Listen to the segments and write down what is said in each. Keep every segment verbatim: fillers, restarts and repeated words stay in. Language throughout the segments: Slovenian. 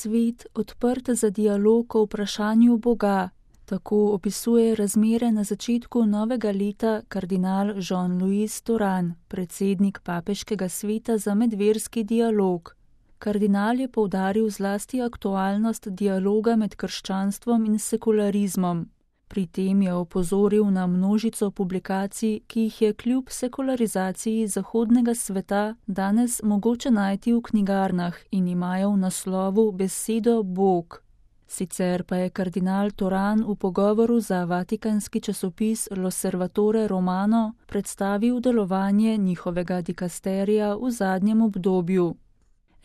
svet odprt za dialog o vprašanju Boga. Tako opisuje razmere na začetku novega leta kardinal Jean-Louis Thuran, predsednik Papeškega sveta za medverski dialog. Kardinal je poudaril zlasti aktualnost dialoga med krščanstvom in sekularizmom. Pri tem je opozoril na množico publikacij, ki jih je kljub sekularizaciji zahodnega sveta danes mogoče najti v knjigarnah in imajo v naslovu besedo Bog. Sicer pa je kardinal Thuran v pogovoru za vatikanski časopis L'Osservatore Romano predstavil delovanje njihovega dikasterija v zadnjem obdobju.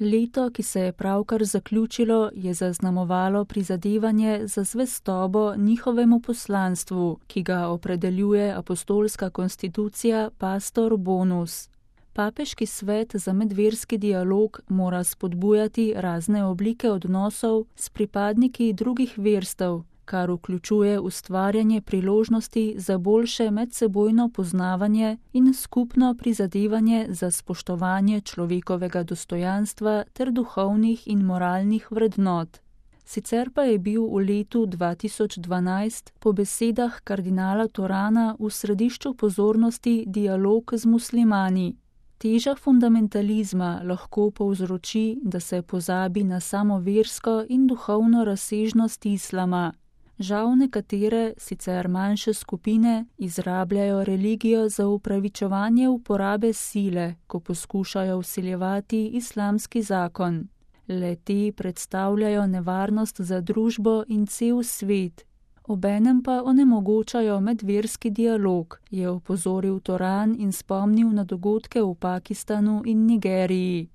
Leto, ki se je pravkar zaključilo, je zaznamovalo prizadevanje za zvestobo njihovemu poslanstvu, ki ga opredeljuje apostolska konstitucija Pastor Bonus. Papeški svet za medverski dialog mora spodbujati razne oblike odnosov s pripadniki drugih verstev, kar vključuje ustvarjanje priložnosti za boljše medsebojno poznavanje in skupno prizadevanje za spoštovanje človekovega dostojanstva ter duhovnih in moralnih vrednot. Sicer pa je bil v letu dva tisoč dvanajst po besedah kardinala Thurana v središču pozornosti dialog z muslimani. Teža fundamentalizma lahko povzroči, da se pozabi na samo versko in duhovno razsežnost islama. Žal nekatere, sicer manjše skupine, izrabljajo religijo za upravičevanje uporabe sile, ko poskušajo vsiljevati islamski zakon. Le-te predstavljajo nevarnost za družbo in cel svet. Obenem pa onemogočajo medverski dialog, je opozoril Thuran in spomnil na dogodke v Pakistanu in Nigeriji.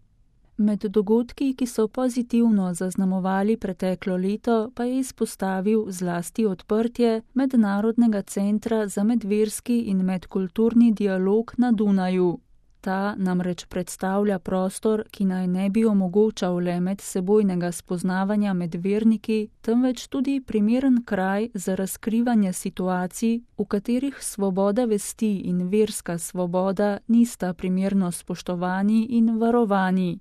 Med dogodki, ki so pozitivno zaznamovali preteklo leto, pa je izpostavil zlasti odprtje Mednarodnega centra za medverski in medkulturni dialog na Dunaju. Ta namreč predstavlja prostor, ki naj ne bi omogočal le medsebojnega spoznavanja med verniki, temveč tudi primeren kraj za razkrivanje situacij, v katerih svoboda vesti in verska svoboda nista primerno spoštovani in varovani.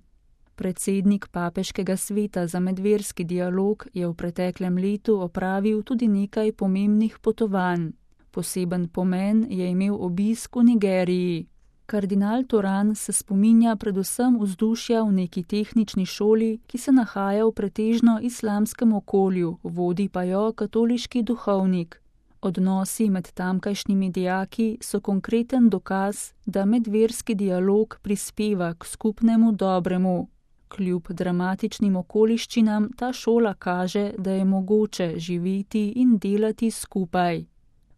Predsednik Papeškega sveta za medverski dialog je v preteklem letu opravil tudi nekaj pomembnih potovanj. Poseben pomen je imel obisk v Nigeriji. Kardinal Thuran se spominja predvsem vzdušja v neki tehnični šoli, ki se nahaja v pretežno islamskem okolju, vodi pa jo katoliški duhovnik. Odnosi med tamkajšnjimi dijaki so konkreten dokaz, da medverski dialog prispeva k skupnemu dobremu. Kljub dramatičnim okoliščinam ta šola kaže, da je mogoče živeti in delati skupaj.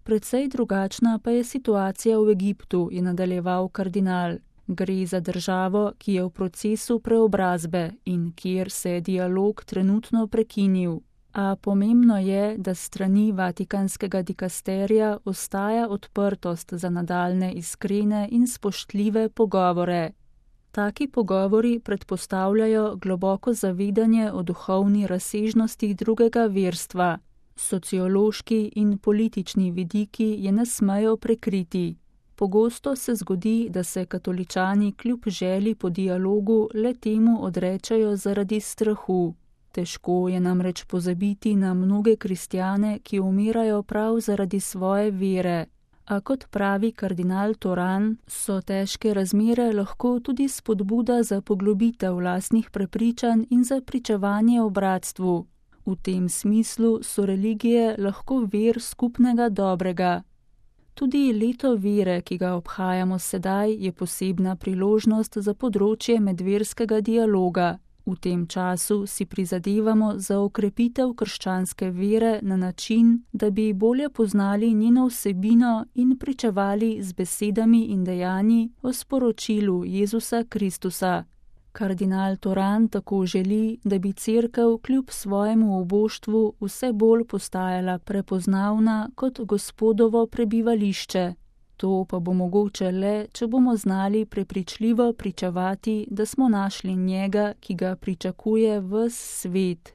Precej drugačna pa je situacija v Egiptu, je nadaljeval kardinal. Gre za državo, ki je v procesu preobrazbe in kjer se je dialog trenutno prekinil. A pomembno je, da s strani vatikanskega dikasterija ostaja odprtost za nadaljne iskrene in spoštljive pogovore. Taki pogovori predpostavljajo globoko zavedanje o duhovni razsežnosti drugega verstva. Sociološki in politični vidiki je ne smejo prekriti. Pogosto se zgodi, da se katoličani kljub želji po dialogu le temu odrečajo zaradi strahu. Težko je namreč pozabiti na mnoge kristjane, ki umirajo prav zaradi svoje vere. A kot pravi kardinal Thuran, so težke razmere lahko tudi spodbuda za poglobitev lastnih prepričanj in za pričevanje o bratstvu. V tem smislu so religije lahko vir skupnega dobrega. Tudi leto vere, ki ga obhajamo sedaj, je posebna priložnost za področje medverskega dialoga. V tem času si prizadevamo za okrepitev krščanske vere na način, da bi bolje poznali njeno vsebino in pričevali z besedami in dejanji o sporočilu Jezusa Kristusa. Kardinal Thuran tako želi, da bi cerkev kljub svojemu oboštvu vse bolj postajala prepoznavna kot Gospodovo prebivališče. To pa bo mogoče le, če bomo znali prepričljivo pričevati, da smo našli njega, ki ga pričakuje ves svet.